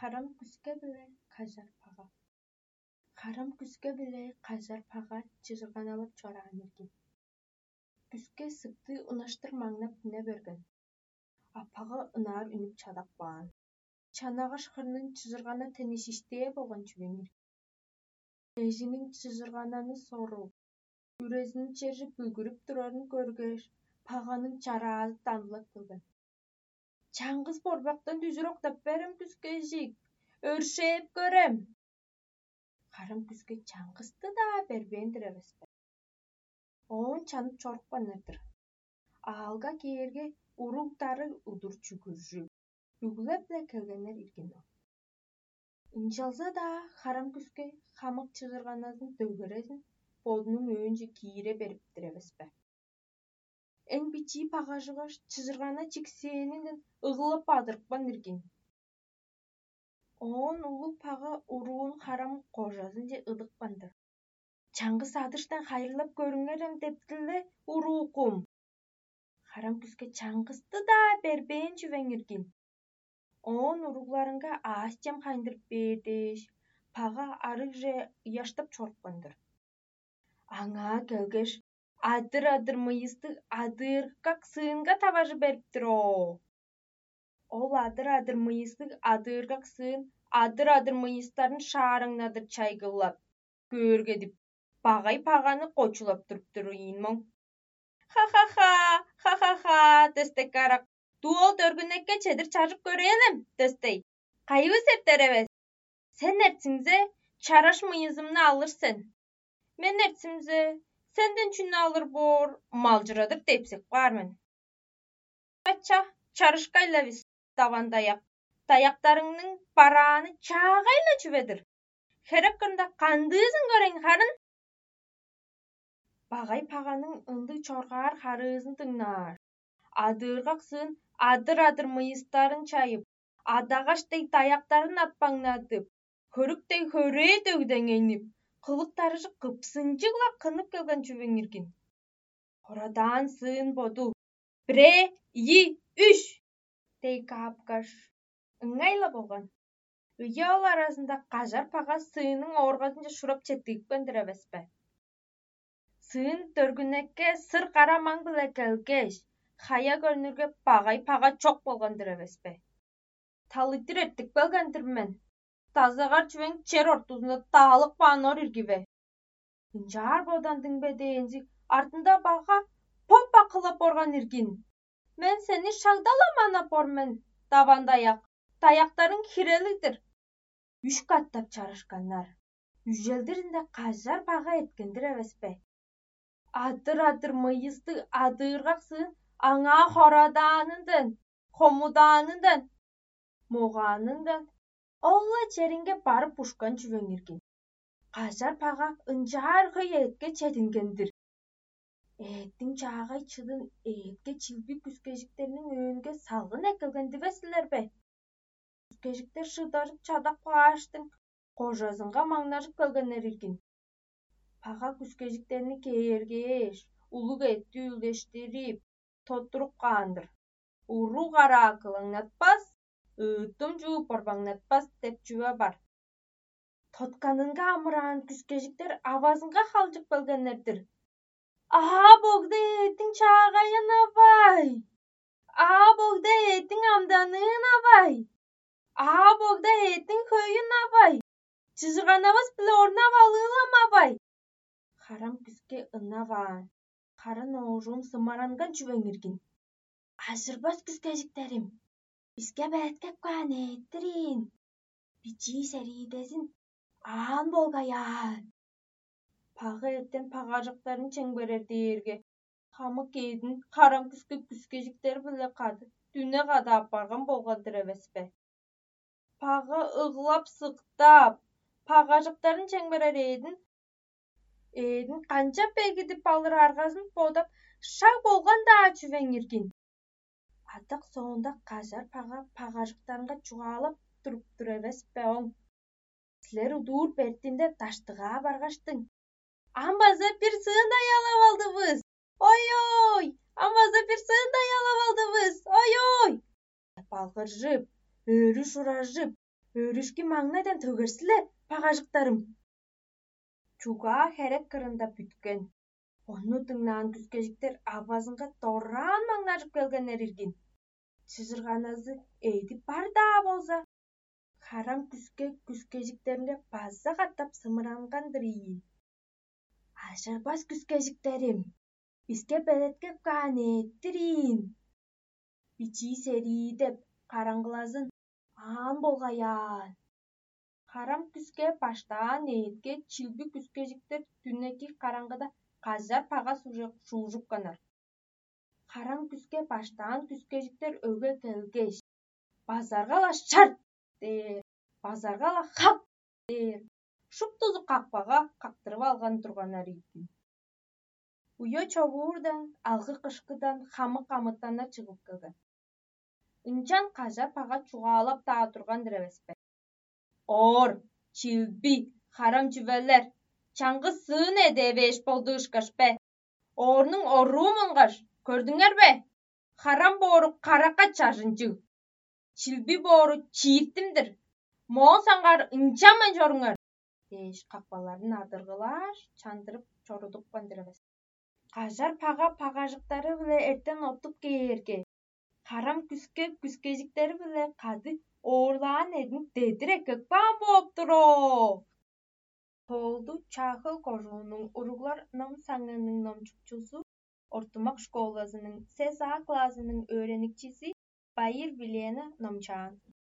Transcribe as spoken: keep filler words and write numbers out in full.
Харам күске биле кажар пага. Харам күске биле кажар пага чыжырганавап чораан эрген. Күске сыкты унаштыр маңнап үне берген. Апага ынаар үнүп чадап каан. Чанагаш хырның чыжыргана тени шиштээ болган чүвең ирген. Эжиниң чыжыргананы соруп, үрезин чержи бүгүрүп турарын көргеш, паганың чараазы дамлап келген. Чаңгыс борбактан дүжүр октап берем, күскежик, өршээп көрем. Харам күске чаңгысты-даа бербээн-дир эвеспе. Оон чанып чорупканнар-дыр. Аалга кээрге, уруг-дарыг удур чүгүржү, үглеп-ле келгеннер иргин ол. Ынчалза-даа харам күске хамык чыгырганазын дөгерезин бодунуң өөнче киире бериптир эвеспе. Эң бичии багажыгаш чыжыргана чиксээнинден ыглап адырыпкан иргин. Оон улуг пага уруун харам кожазынче ыдыпкан-дыр. Чаңгыс адыштан хайырлап көрүңерем дептиле, уруукум. Харам күске чаңгысты-даа бербээн чүвең иргин. Оон уругларынга аъс-чем хайындырып бээр дээш, пага арыгже ыяштап чорупкан-дыр. Аңаа келгеш, адыр-адыр мыйыстыг адыыргак сыынга таважы бериптир оо. Ол адыр-адыр мыйыстыг адыыргак сыын адыр-адыр мыйыстарын шаараңнадыр чайгылап, көөргедип, багай-паганы кочулап туруптур ийин моң. Ха-ха-ха, ха-ха-ха, дөстек карак. Дуол дөргүнекке чедир чажып көрээлем, дөстей. Кайывыс эртер эвес? Сен эртсиңзе, чараш мыйызымны алыр сен. Мен эртсимзе, сенден чүнү алыр боор, малчырадыр депсек баар мен. Ача, чарышкай-ла бис, даван даяк. Даяктарыңның барааны чаагай-ла чүве-дир. Херек кырында кандыызын көрейн харын. Багай-паганың ындыг чоргаар харыызын дыңнаар. Адыыргак сыын адыр-адыр мыйыстарын чайып, адагаш дег даяктарын атпаңнадып, хөрүк дег хөрээ дөгдеңейнип, кылык-дарыжы кыпсынчыг-ла кынып келген чүвең иргин. Хорадаан сыын боду: «Бирээ, ийи, үш!» — дей каапкаш, ыңай-ла болган. Ыяал аразында кажар-пага сыының ооргазынче шурап четтигипкен-дир эвеспе. Сыын дөргүнекке сыр кара маң-биле келгеш, хая көрнүрге багай-пага чок болган-дыр эвеспе. Талыйтыр эртип келген-дир мен. Дазагар чүвең чер ортузунда даалып каан ор иргиве. Ынчаар бодан дыңбе дээнзиг артында бага поп акылап орган иргин. Мен сени шагдала манап ор мен, даван даяк, даяктарың хирелиг-дир. Үш катап чарышканнар. Үжелдиринде кажар бага эрткендир эвеспе? Адыр-адыр мыйыстыг адыыргак сыын аңаа хорадаанындан, хомудаанындан, могаанындан ол-ла черинге барып ушкан чүвең иргин. Кажар бага ынчаар хөй эътке чединген-дир. Эъттиң чаагай чыдын эътке чилби күскежиктерниң өөнге салгын эккелген дивес силер бе? Күскежиктер шыдарып чадап кааштың, кожазынга маңнажып келгеннер иргин. Пага күскежиктерни кээргээш, улуг эътти үлештирип, тоттуруп каан-дыр. «Уруг араа кылаңнатпас, ыыттым чуу борбаңнатпас» деп чүве бар. Тотканынга амыраан күскежиктер авазынга халчып келгеннер-дир. «Аа, богда эъттиң чаагайын авай! Аа, богда эъттиң амданын авай! Аа, богда эъттиң хөйүн авай! Чыжырганавас-биле орнап алыылам авай!» Харам күске ынаваан, харын оожум сымаранган чүвең иргин. «Ажырбас күскежиктерим, биске бээткеп каан эъттир ийин, бичии сериидезин аан болгай аан». Пага эртен пагажыктарын чемгерер дээрге, хамык эъдин харам күске күскежиктер-биле кады дүне када аппарган болган-дыр эвеспе? Пага ыглап-сыктап, пагажыктарын чемгерер эъдин, эъдин канчап бегидип алыр аргазын бодап, шаг болган-даа чүвең иргин. Адак соонда кажар пага пагажыктарынга чугаалап туруп-тур эвес бе оң? Силер удуур бертинде даштыгаа баргаштың: «Ам база бир сыын аялап алдывыс! Ой-ой! Ам база бир сыын аялап алдывыс! Ой-ой!» — деп алгыржып, өрү шуражып, Өөрүшкү маңнайдан төгер силер, багажыктарым. Чугаа херек кырында бүткен. Ону дыңнаан күскежиктер авазынга дораан маңнажып келгеннер иргин. Чыжырганазы эди бар-даа болза, харам күске күскежиктеринге база катап сымыранган-дыр ийин. Ажырбас күскежиктерим, биске белеткеп каан эттир ийин. Бичии серии деп караңгылазын аан болгай аан. Харам күске баштаан ээдке чилби күскежиктер дүнеки караңгыда кажар пага шуужупканнар. Харам күске баштаан күскежиктер өге келгеш, базарга-ла шарт дээр, базарга-ла хак дээр, шуптузу какпага кактырып алган турганнар ийикин. Уя човуурдан, алгы кышкыдан хамык амытаннар чыгып келген. Ынчан кажар пага чугаалап-даа турган-дыр эвес бе? Оор, чилби, харам чүвелер, чаңгыс сыын эдээвээш болду ышкаш бе? Оорнуң оруу мунгаш, көрдүңер бе? Харам боору каракка чажынчыг, чилби боору чииртимдир. Моон саңгаар ынчанмайн чоруңар дээш, какпаларын адыргылааш, чандырып чорудупкан-дыр эвес. Кажар пага пагажыктары-биле эртен оттуп кээрге, харам күске күскежиктери-биле кады оорлаан эдин дедир эккеп каан бооп тур оо. Тоолду Чаахыл кожуунуң уруглар ном саңыының номчукчузу, ортумак школазының сес А классының өөреникчизи Байыр Вилена номчаан.